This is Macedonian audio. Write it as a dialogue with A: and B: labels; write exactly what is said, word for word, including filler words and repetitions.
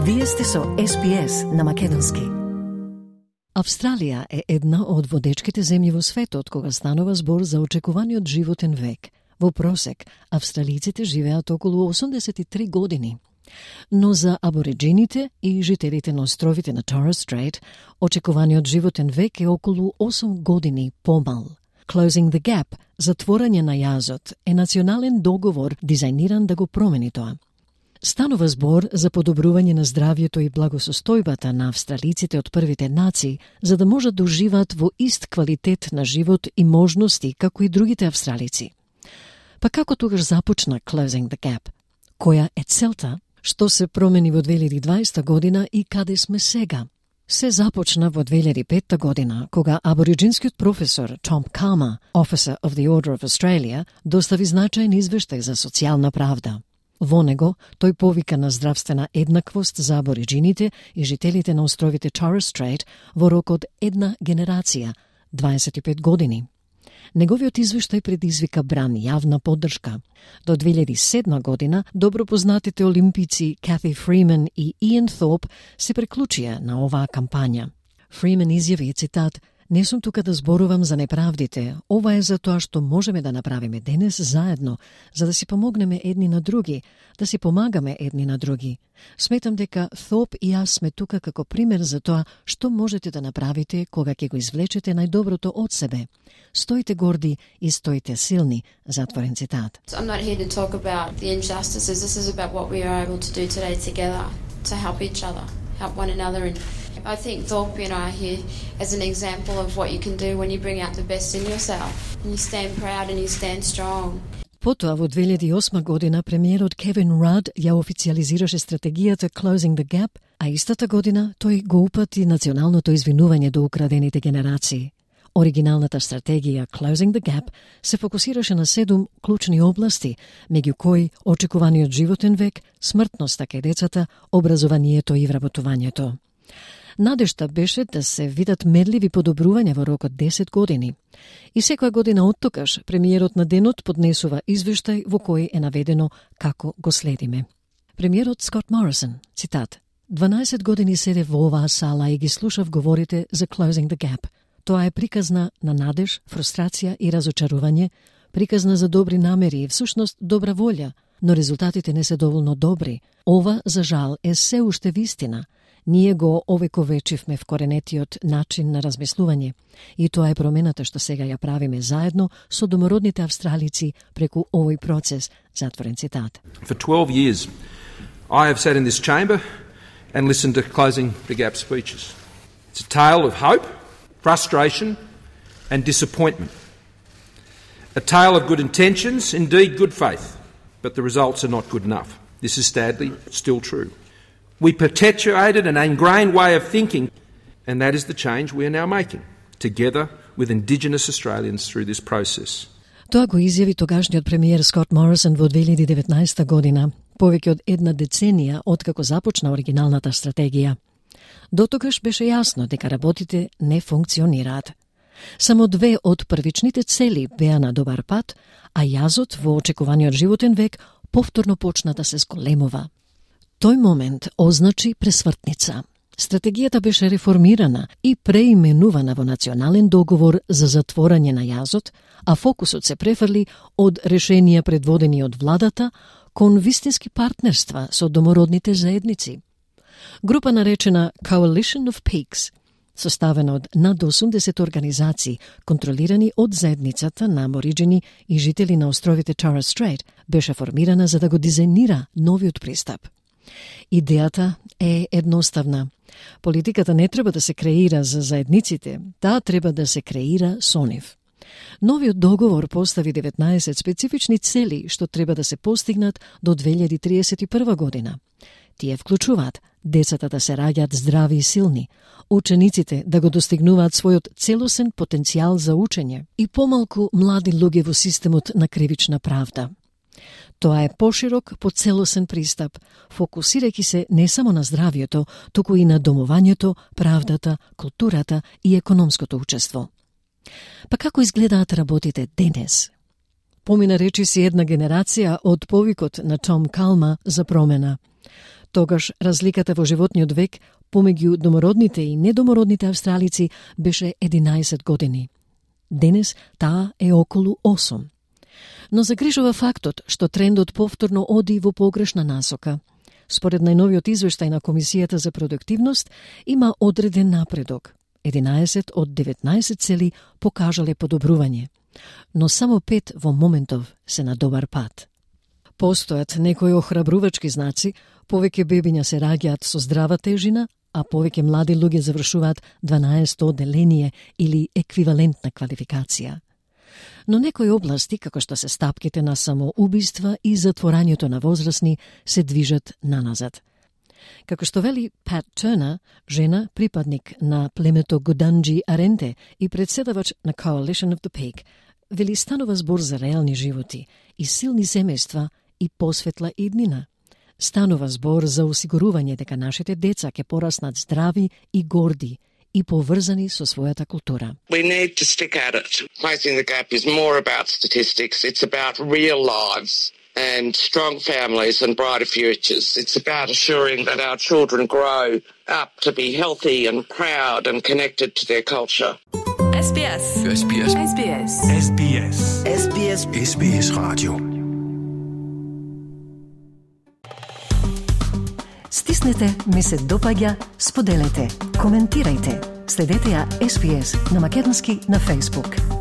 A: Вие сте со Ес Би Ес на македонски. Австралија е една од водечките земји во светот кога станува збор за очекуваниот животен век. Во просек, австралиците живеат околу осумдесет и три години. Но за абориджините и жителите на островите на Торрес Стрейт, очекуваниот животен век е околу осум години помал. Closing the Gap, затворање на јазот, е национален договор дизајниран да го промени тоа. Станува збор за подобрување на здравјето и благосостојбата на австралиците од првите нации, за да можат да уживаат во ист квалитет на живот и можности како и другите австралици. Па како тогаш започна Closing the Gap? Која е целта? Што се промени во две илјади и дваесета година и каде сме сега? Се започна во две илјади и петта година, кога абориджинскиот професор Том Calma, Officer of the Order of Australia, достави значаен извештај за социјална правда. Во него, тој повика на здравствена еднаквост за абориджините и жителите на островите Торрес Стрейт во рок од една генерација, дваесет и пет години. Неговиот извештај предизвика бран јавна поддршка. До две илјади и седма година, добро познатите олимпици Кати Фримен и Иан Thorpe се преклучија на оваа кампања. Фримен изјави, цитат, "Не сум тука да зборувам за неправдите, ова е за тоа што можеме да направиме денес заедно, за да си помогнеме едни на други, да си помагаме едни на други. Сметам дека Thorpe и јас сме тука како пример за тоа што можете да направите кога ќе го извлечете најдоброто од себе. Стоите горди и стоите силни", затворен цитат.
B: I'm not here to talk about the injustices. This is about what we are able to do today together to help each other, help one another. And I think Thorpe and I are here as an example of what you can do when you bring out the best in yourself and you stand proud and you stand strong.
A: Потоа во две илјади и осма година премиерот Кевин Рад ја официализираше стратегијата Closing the Gap, а истата година тој го упати националното извинување до украдените генерации. Оригиналната стратегија Closing the Gap се фокусираше на седум клучни области, меѓу кои очекуваниот животен век, смртноста кај децата, образованието и вработувањето. Надежта беше да се видат мерливи подобрувања во рок од десет години. И секоја година оттогаш премиерот на денот поднесува извештај во кој е наведено како го следиме. Премиерот Скот Морисон, цитат, "дванаесет години седев во оваа сала и ги слушав говорите за Closing the Gap. Тоа е приказна на надеж, фрустрација и разочарување, приказна за добри намери и всушност добра волја, но резултатите не се доволно добри. Ова, за жал, е се уште вистина. Ние го овековечивме вкоренетиот начин на размислување и тоа е промената што сега ја правиме заедно со домородните австралици преку овој процес", затворен цитат.
C: For twelve years, I have sat in this chamber and listened to Closing the Gap speeches. It's a tale of hope, frustration and disappointment. A tale of good intentions, indeed good faith, but the results are not good enough. This is sadly still true. We perpetuated an ingrained way of thinking, and that is the change we are now making, together with Indigenous Australians through this process.
A: Тоа го изјави тогашниот премиер Скот Морисон во две илјади и деветнаесета година, повеќе од една деценија откако започна оригиналната стратегија. Дотогаш беше јасно дека работите не функционираат. Само две од првичните цели беа на добар пат, а јазот во очекуваниот животен век повторно почна да се зголемува. Тој момент означи пресвртница. Стратегијата беше реформирана и преименувана во национален договор за затворање на јазот, а фокусот се префрли од решенија предводени од владата кон вистински партнерства со домородните заедници. Група наречена Coalition of Peaks, составена од над осумдесет организации, контролирани од заедницата на абориджини и жители на островите Торрес Стрейт, беше формирана за да го дизајнира новиот пристап. Идејата е едноставна. Политиката не треба да се креира за заедниците, таа треба да се креира со нив. Новиот договор постави деветнаесет специфични цели што треба да се постигнат до две илјади и триесет и прва година. Тие вклучуваат децата да се раѓаат здрави и силни, учениците да го достигнуваат својот целосен потенцијал за учење и помалку млади луѓе во системот на кривична правда. Тоа е поширок, поцелосен пристап, фокусирајќи се не само на здравјето, туку и на домувањето, правдата, културата и економското учество. Па како изгледаат работите денес? Помина речиси една генерација од повикот на Том Calma за промена. Тогаш разликата во животниот век помеѓу домородните и недомородните австралици беше единаесет години. Денес таа е околу осум. Но загрижува фактот што трендот повторно оди во погрешна насока. Според најновиот извештај на Комисијата за продуктивност има одреден напредок. единаесет од деветнаесет цели покажале подобрување, но само пет во моментов се на добар пат. Постојат некои охрабрувачки знаци, повеќе бебиња се раѓаат со здрава тежина, а повеќе млади луѓе завршуваат дванаесетто одделение или еквивалентна квалификација. Но некои области, како што се стапките на самоубиства и затворањето на возрастни, се движат наназад. Како што вели Пат Турнер, жена, припадник на племето Гуданджи Аренте и председавач на Coalition of the Pig, вели станува збор за реални животи и силни семејства и посветла иднина. Станува збор за осигурување дека нашите деца ќе пораснат здрави и горди и поврзани со својата култура.
D: We need to stick at it. Closing the gap is more about statistics. It's about real lives and strong families and brighter futures. It's about assuring that our children grow up to be healthy and proud and connected to their culture.
E: S B S.
F: S B S.
E: S B S.
F: S B S.
E: S B S.
F: S B S Radio.
A: Стиснете, ми се допаѓа, споделете, коментирајте. Следете ја С Б С на македонски на Facebook.